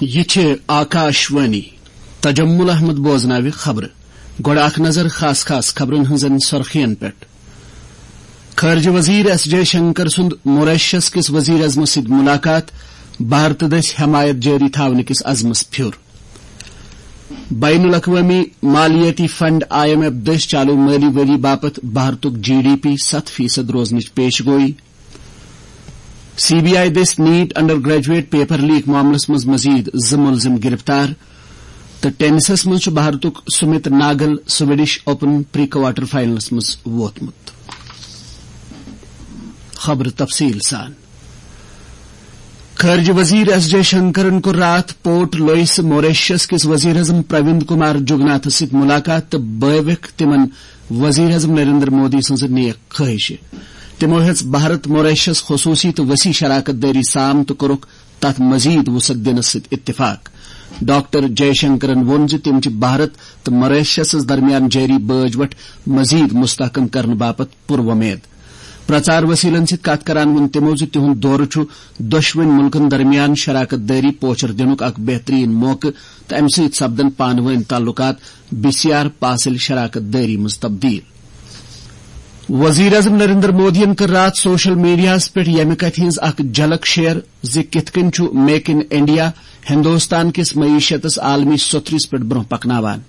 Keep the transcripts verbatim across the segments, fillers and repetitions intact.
یہِ چھِ آکاش وانی۔ تجمل احمد بوزناوِ خبرٕ۔ گۄڈٕ اکھ نظر خاص خاص خبرن ہٕنٛزن سرخین پٮ۪ٹھ۔ خارجہ وزیر ایس جے شنکر سُنٛد موریشس کِس وزیر اعظمس سۭتۍ ملاقات، بھارتہٕ دٔسۍ حمایت جٲری تھاونہٕ کِس عزمس پھیُر۔ بین الاقوٲمی مالیٲتی فنڈ آئی ایم ایف دٔسۍ چالو مٲلی ؤری باپتھ بھارتُک جی ڈی پی ستھ فیصد روزنٕچ پیش گوئی۔ سی بی آئی دٔسۍ NEET undergraduate paper leak معاملس منٛز مزید زٕ ملزم گرفتار۔ تہٕ ٹینسس منٛز چھُ بھارتُک Sumit Nagal Swedish open pre quarter finals منٛز ووتمُت۔ خبرٕ تفصیل سان۔ خارجہ وزیر ایس جے شنکرن کوٚر راتھ پورٹ لوئس موریشس کِس وزیر اعظم پرویند کمار جگناتھس سۭتۍ ملاقات تہٕ بٲوِکھ تِمن وزیر اعظم نریندر مودی سٕنٛز نیک خواہشہِ۔ تِمو ہیٚژ بھارت موریشس خصوٗصی تہٕ وسیع شراکت دٲری سام تہٕ کوٚرُکھ تتھ مزید وسعت دِنس سۭتۍ اتفاق۔ ڈاکٹر جے شنکرن ووٚن زِ تِم چھِ بھارت تہٕ موریشسس درمیان جٲری بٲج وٹھ مزید مستحکم کرنہٕ باپتھ پُر وۄمید۔ پرچار وسیلن سۭتۍ کتھ کران ووٚن تِمو زِ تِہُنٛد دورٕ چھُ دۄشوٕنۍ مُلکن درمیان شراکت دٲری پوچھر دِنُک اکھ بہترین موقعہٕ تہٕ امہِ سۭتۍ سپدن پانہٕ وٲنۍ تعلقات بسیار پاسل شراکت دٲری منٛز تبدیل۔ وزیر اعظم نریندر مودیَن کٔر راتھ سوشل میڈیاہَس پٮ۪ٹھ ییٚمہِ کتھِ ہٕنٛز اکھ جھلک شیئر زِ کِتھ کٔنۍ چھُ میک ان انڈیا ہندوستان کِس معیشتس عالمی سوٚتھرِس پٮ۪ٹھ برونٛہہ پکناوان۔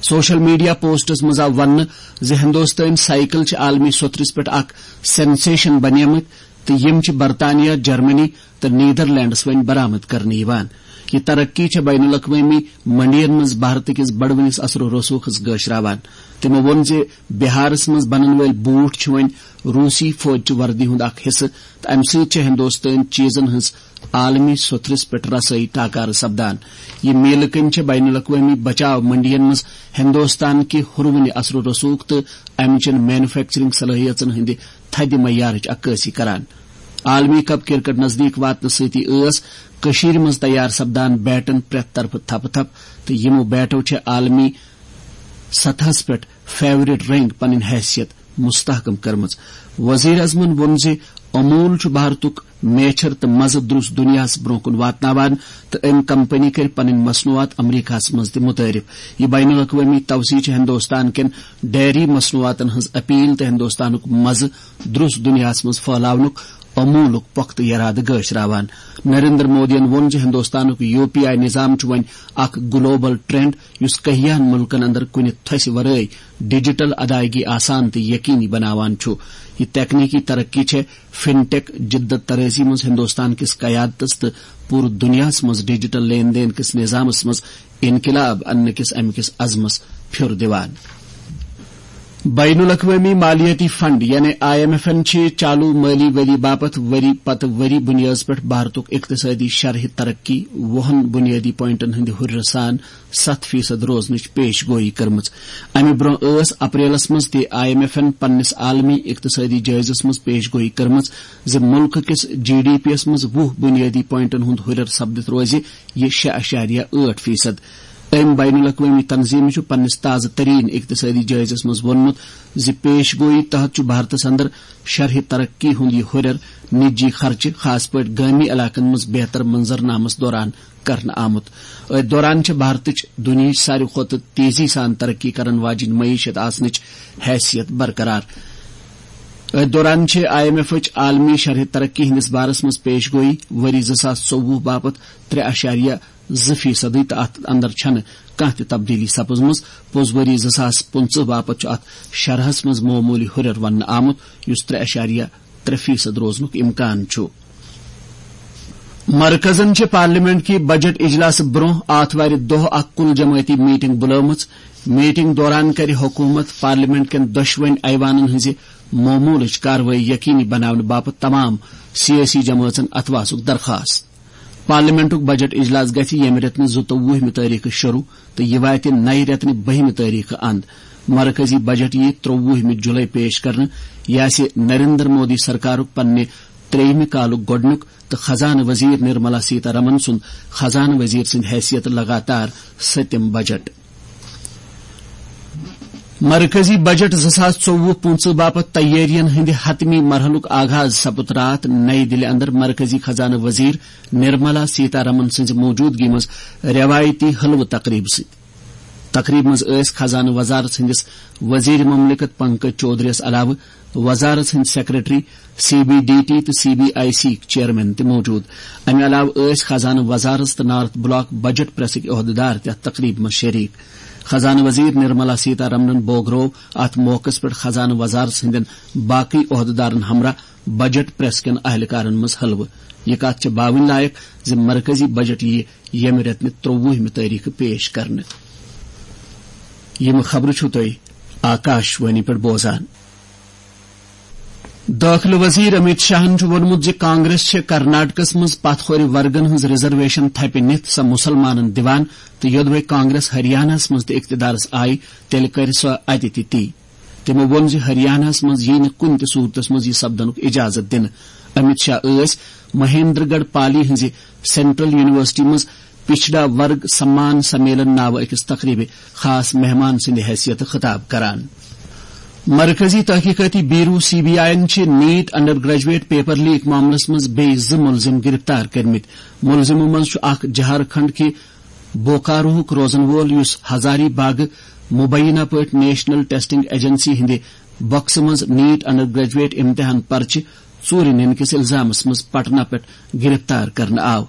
سوشل میڈیا پوسٹس منٛز آو وننہٕ زِ ہندوستٲنۍ سائیکل چھِ عالمی سوٚتھرِس پٮ۪ٹھ اکھ سینسیشن بنیمٕتۍ تہٕ یِم چھِ برطانیہ، جرمنی تہٕ نیدرلینڈس وۄنۍ برآمد کرنہٕ یِوان۔ یہِ ترقی چھےٚ بین الاقوٲمی منڈین منٛز بھارت کِس بڑوٕنِس اثر و رسوخس گٲشراوان۔ تِمو ووٚن زِ بہارس منٛز بنن وٲلۍ بوٗٹھ چھِ وۄنۍ روسی فوجچہِ وردی ہُنٛد اکھ حصہٕ تہٕ امہِ سۭتۍ چھےٚ ہندوستٲنۍ چیزن ہٕنٛز عالمی سوٚتھرِس پٮ۪ٹھ رسٲیی ٹاکارٕ سپدان۔ یہِ میلہٕ کٔمۍ چھےٚ بین الاقوٲمی بچاو منڈین منٛز ہندوستان کہِ ہُروٕنہِ اثر و رسوخ تہٕ امہِ چٮ۪ن مینوفیکچرنگ صلٲحیژن ہٕنٛدِ تھدِ معیارٕچ عکٲسی کران۔ عالمی کپ کرکٹ نزدیک واتنہٕ سۭتی ٲس کٔشیٖرِ منٛز تیار سپدان بیٹن پرٛٮ۪تھ طرفہٕ تھپہٕ تھپھ تہٕ یِمو بیٹو چھےٚ عالمی سطحس پٮ۪ٹھ فیورٹ رنگ پنٕنۍ حیثیت مستحکم کٔرمٕژ۔ وزیر اعظمن ووٚن زِ امول چھُ بھارتُک میچھر تہٕ مزٕ درُس دُنیاہَس برونٛہہ کُن واتناوان تہٕ أمۍ کمپنی کٔرۍ پنٕنۍ مصنوعات امریکہَس منٛز تہِ متعارف۔ یہِ بین الاقوٲمی توسیع چھِ ہندوستان کٮ۪ن ڈیری مصنوعاتن ہٕنٛز اپیل تہٕ ہندوستانُک مزٕ درُس دُنیاہَس منٛز پھٲلاونُک امولُک پۄختہٕ یرادٕ گٲشراوان۔ نریندر مودیَن ووٚن زِ ہندوستانُک یو پی آئی نظام چھُ وۄنۍ اکھ گلوبل ٹرینڈ، یُس کہیاہن ملکن اندر کُنہِ تھسہِ ورٲے ڈیجیٹل ادائیگی آسان تہٕ یقینی بناوان چھُ۔ یہِ تکنیکی ترقی چھےٚ فن ٹیک جدت طرازی منٛز ہندوستان کِس قیادتس تہٕ پوٗرٕ دُنیاہَس منٛز ڈیجیٹل لین دین کِس نظامس منٛز انقلاب اننہٕ کِس امہِ کِس عزمس پھیُر دِوان۔ بین الاقوٲمی مالیٲتی فنڈ یعنی آئی ایم ایفن چھِ چالو مٲلی ؤری باپتھ ؤری پتہٕ ؤری بُنیٲدس پٮ۪ٹھ بھارتُک اقتصٲدی شرحہِ ترقی وُہن بُنیٲدی پوائنٹن ہٕنٛدِ ہُرِرٕ سان ستھ فیصد روزنٕچ پیش گوئی کٔرمٕژ۔ امہِ برونٛہہ ٲس اپریلس منٛز تہِ آئی ایم ایفن پننِس عالمی اقتصٲدی جٲیزس منٛز پیش گوئی کٔرمٕژ زِ مُلکہٕ کِس جی ڈی پی یَس منٛز وُہ بُنیٲدی پوائنٹن ہُنٛد ہُرِر سپدِتھ روزِ یہِ شےٚ اعشاریہ ٲٹھ فیصد۔ أمۍ بین الاقوٲمی تنظیمہِ چھُ پننِس تازٕ ترین اقتصٲدی جٲیزس منٛز ووٚنمُت زِ پیش گوئی تحت چھُ بھارتس اندر شرحہِ ترقی ہُنٛد یہِ ہُرٮ۪ر نجی خرچہٕ، خاص پٲٹھۍ گٲمی علاقن منٛز بہتر منظرنامس دوران کرنہٕ آمُت۔ أتھۍ دوران چھِ بھارتٕچ دُنیاہٕچ ساروی کھۄتہٕ تیزی سان ترقی کرن واجیٚنۍ معیشت آسنٕچ حیثیت برقرار۔ أتھۍ دوران چھِ آئی ایم ایفٕچ عالمی شرحہِ ترقی ہٕنٛدِس بارس منٛز پیش گوئی ؤری زٕ ساس ژوٚوُہ باپتھ ترٛےٚ اعشاریہ زٕ فیصدٕے تہٕ اتھ اندر چھنہٕ کانٛہہ تہِ تبدیلی سپٕزمٕژ۔ پوٚز ؤری زٕ ساس پٕنٛژٕہ باپتھ چھُ اتھ شرحس منٛز معموٗلی ہُرٮ۪ر وننہٕ آمُت، یُس ترٛےٚ اعشاریہ ترٛےٚ فیصد روزنُک امکان چھُ۔ مرکزن چھِ پارلیمنٹ کہِ بجٹ اجلاس برونٛہہ آتھوارِ دۄہ اکھ کُل جمٲعتی میٹنگ بُلٲومٕژ۔ میٹنگ دوران کرِ حکومت پارلیمنٹ کٮ۪ن دۄشوٕنۍ ایوانن ہٕنٛزِ معموٗلٕچ کاروٲیی یقینی بناونہٕ باپتھ تمام سیٲسی جمٲژن اتھواسُک درخاست۔ پارلیمنٹُک بجٹ اجلاس گژھِ ییٚمہِ رٮ۪تہٕ نہٕ زٕتووُہمہِ تٲریخہٕ شروع تہٕ یہِ واتہِ نَیہِ رٮ۪تہٕ نہٕ بٔہمہِ تٲریخہٕ اند۔ مرکزی بجٹ یِیہِ ترٛووُہمہِ جُلے پیش کرنہٕ۔ یہِ آسہِ نریندر مودی سرکارُک پننہِ ترٛیٚیِمہِ کالُک گۄڈٕنیُک تہٕ خزانہٕ وزیر نرملا سیتارمن سُنٛد خزانہٕ وزیر سٕنٛدِ حیثیتہٕ لگاتار سٔتِم بجٹ۔ مرکزی بجٹ زٕ ساس ژوٚوُہ پٕنٛژٕہ باپتھ تیٲرین ہٕنٛدِ حتمی مرحلُک آغاز سپُد راتھ نئی دِلہِ اندر مرکزی خزانہٕ وزیر نرملا سیتارمن سٕنٛزِ موجودگی منٛز روایتی حلوٕ تقریبہٕ سۭتۍ۔ تقریبہِ منٛز ٲسۍ خزانہٕ وزارت سٕنٛدِس وزیر مملکت پنکج چودھریَس علاوٕ وزارت ہٕنٛدۍ secretary, C B D T تہٕ C B I C chairman تہِ موجود۔ امہِ علاوٕ ٲسۍ خزانہٕ وزارت تہٕ نارتھ بلاک بجٹ پریسٕکۍ عہدٕدار تہِ اتھ تقریبہِ منٛز شریک۔ خزانہٕ وزیر نرملا سیتارمنن بوگرو اتھ موقعس پٮ۪ٹھ خزانہٕ وزارت ہٕنٛدٮ۪ن باقٕے عہدٕدارن ہمراہ بجٹ پریس کٮ۪ن اہلکارن منٛز حلوٕ۔ یہِ کتھ چھےٚ باوٕنۍ لایق زِ مرکزی بجٹ یِیہِ ییٚمہِ رٮ۪تہٕ ترٛۆوُہمہِ تٲریخہٕ پیش کرنہٕ۔ یِم خبرٕ چھِو تُہۍ آکاش وانی پٮ۪ٹھ بوزان۔ دٲخلہٕ وزیر امیت شاہن چھُ ووٚنمُت زِ کانگریس چھِ کرناٹکس منٛز پتھ کھورِ ورگن ہٕنٛز ریزرویشن تھپہِ نِتھ سۄ مُسلمانن دِوان تہٕ یوٚدوَے کانگریس ہریاناہس منٛز تہِ اقتدارس آیہِ، تیٚلہِ کرِ سۄ اتہِ تہِ تی۔ تِمو ووٚن زِ ہریاناہس منٛز یِیہِ نہٕ کُنہِ تہِ صورتس منٛز یہِ سپدنُک اجازت دِنہٕ۔ امیت شاہ ٲسۍ مہیندر گڑھ پالی ہٕنٛزِ سینٹرل یونیورسٹی منٛز پچھڑا ورگ سمان سمیلن ناوٕ أکِس تقریبہِ خاص مہمان سٕنٛدِ حیثیتہٕ خطاب کران۔ مرکزی تحقیقاتی بیورو سی بی آئی یَن چھِ NEET undergraduate paper leak معاملس منٛز بیٚیہِ زٕ مُلزِم گرفتار کٔرمٕتۍ۔ مُلزِمو منٛز چھُ اکھ جھارکھنڈ کہِ بوکاروہُک روزن وول، یُس ہزاری باغ مبینہ پٲٹھۍ نیشنل ٹیسٹنگ ایجنسی ہٕنٛدِ بکسہٕ منٛز نیٹ انڈر گریجویٹ امتحان پرچہِ ژوٗرِ نِنہٕ کِس الزامس منٛز پٹنہ پٮ۪ٹھ گرفتار کرنہٕ آو۔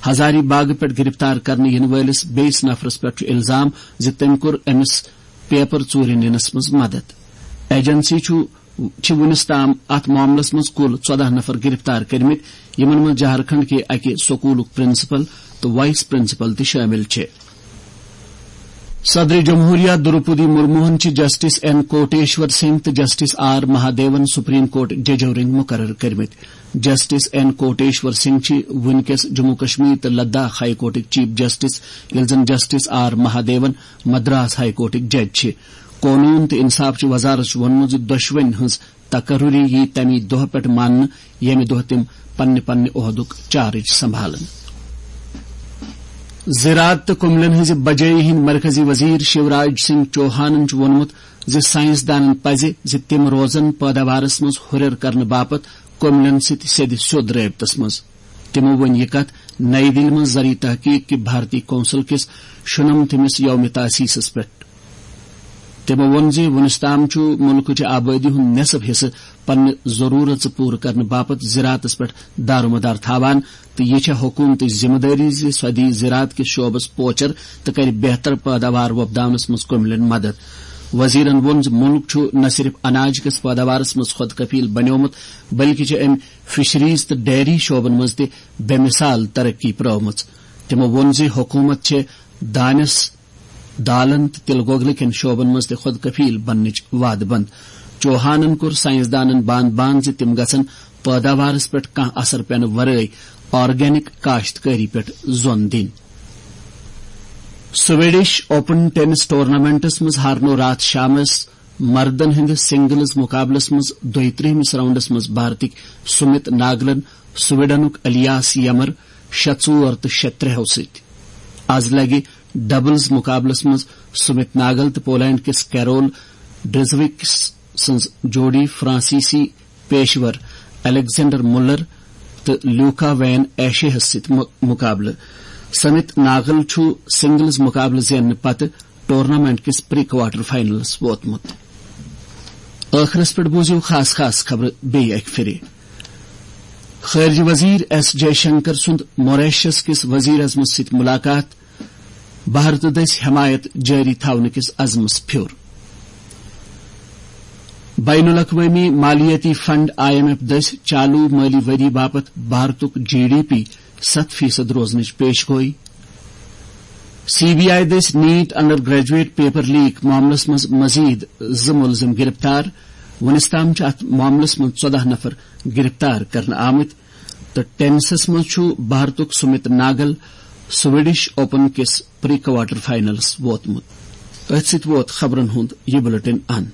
ہزاری باغ پٮ۪ٹھ گرفتار کرنہٕ یِنہٕ وٲلِس بیٚیِس نفرس پٮ۪ٹھ چھُ الزام زِ تٔمۍ کوٚر أمِس پیپر ژوٗرِ نِنس منٛز مدد۔ ایجنسی چھُ، چھِ وُنِس تام اتھ معاملس منٛز کُل ژۄداہ نفر گرفتار کٔرمٕتۍ، یِمن منٛز جھارکھنڈ کہِ اکہِ سکوٗلُک پرنسپل تہٕ وائس پرنسپل تہِ شٲمِل چھِ۔ صدر جمہوریہ دروپدی مرموہن چھِ جسٹس این کوٹیشور سنگھ تہٕ justice R Mahadevan supreme court ججو رنگۍ مقرر کٔرمٕتۍ۔ جسٹس این کوٹیشور سنگھ چھِ وُنکیٚس جموں کشمیر تہٕ لداخ ہائی کورٹٕکۍ چیف جسٹس، ییٚلہِ زن justice R Mahadevan Madras high کورٹٕکۍ جج چھِ۔ قونوٗن تہٕ انصاف چہِ وزارت چھُ ووٚنمُت زِ دۄشوٕنۍ ہٕنٛز تقرری یی تَمی دۄہ پٮ۪ٹھ ماننہٕ، ییٚمہِ دۄہ تِم پننہِ پننہِ عہدُک چارج سنبھالن۔ زراعت تہٕ کُملن ہٕنٛزِ بجٲیی ہٕنٛدۍ مرکزی وزیر شیوراج سنگھ چوہانن چھُ ووٚنمُت زِ سائنسدانن پزِ زِ تِم روزن پٲداوارس منٛز ہُرٮ۪ر کرنہٕ باپتھ کُملن سۭتۍ سیٚدِ سیوٚد رٲبطس منٛز۔ تِمو ووٚن یہِ کتھ نئی دِلہِ منٛز زرعی تحقیق کہِ بھارتی کونسل کِس شُنمتھمِس یوم تاسیسس پٮ۪ٹھ۔ تِمو ووٚن زِ وُنِس تام چھُ مُلکٕچہِ آبٲدی ہُنٛد نٮ۪صٕف حصہٕ پننہِ ضروٗرژٕ پوٗرٕ کرنہٕ باپتھ زراعتس پٮ۪ٹھ دارومدار تھاوان تہٕ یہِ چھےٚ حکوٗمتٕچ ذمہٕ دٲری زِ سۄ دِیہِ زراعت کِس شعبس پوچر تہٕ کرِ بہتر پٲداوار وۄپداونس منٛز کُملٮ۪ن مدد۔ وزیرن ووٚن زِ مُلک چھُ نہ صرف اناج کِس پٲداوارس منٛز خۄد کفیل بنیومُت، بلکہِ چھِ أمۍ فشریز تہٕ ڈیری شعبن منٛز تہِ بے مثال ترقی پرٲومٕژ۔ تِمو ووٚن زِ حکوٗمت چھِ دانٮ۪س، دالن تہٕ تِلہٕ گۄگلہٕ کٮ۪ن شعبن منٛز تہِ خۄد کفیل بننٕچ وعدٕ بنٛد۔ چوہانن کوٚر سائنسدانن باند باند زِ تِم گژھن پٲداوارس پٮ۪ٹھ کانٛہہ اثر پٮ۪نہٕ ورٲے آرگینک کاشتکٲری پٮ۪ٹھ زون دِنۍ۔ سویڈش اوپن ٹینس ٹورنامنٹس منٛز ہارنو راتھ شامس مردن ہٕنٛدِس سنگلز مقابلس منٛز دۄیہِ ترٛہمِس راؤنڈس منٛز بھارتٕکۍ سمت ناگلن سویڈنُک الیاس یمر شےٚ ژور تہٕ شےٚ ترٛےٚ ہو سۭتۍ۔ از لگہِ ڈبلز مقابلس منٛز سمت ناگل تہٕ پولینڈ کِس کیرول ڈریزوکس سٕنٛز جوڑی فرانسیسی پیشور الیگزینڈر مُلر تہٕ لیوکا وین ایشے ہس سۭتۍ مُ-، مقابلہٕ۔ سمت ناگل چھُ سنگلز مقابلہٕ زیننہٕ پتہٕ ٹورنامنٹ کِس پری کوارٹر فائنلس ووتمُت۔ ٲخرس پٮ۪ٹھ بوٗزِو خاص خاص خبرٕ بیٚیہِ اکہِ پھِرِ۔ خارجہ وزیر ایس جے شنکر سُنٛد موریشس کِس وزیر اعظمس سۭتۍ ملاقات، بھارتہٕ دٔسۍ حمایت جٲری تھاونہٕ کِس عزمس پھیوٚر۔ بین الاقوٲمی مالیٲتی فنڈ آئی ایم ایف دٔسۍ چالو مٲلی ؤری باپتھ بھارتُک جی ڈی پی ستھ فیصد روزنٕچ پیش گوئی۔ سی بی آئی دٔسۍ NEET undergraduate paper leak معاملس منٛز مزید زٕ مُلزِم گرفتار۔ وُنِس تام چھِ اتھ معاملس منٛز ژۄداہ نفر گرفتار کرنہٕ آمٕتۍ تہٕ ٹینسس منٛز چھُ بھارتُک سمت ناگل سویڈش اوپن کِس پری کوارٹر فائنلس ووتمُت۔ أتھۍ سۭتۍ ووت خبرن ہُنٛد یہِ بلیٹن اند۔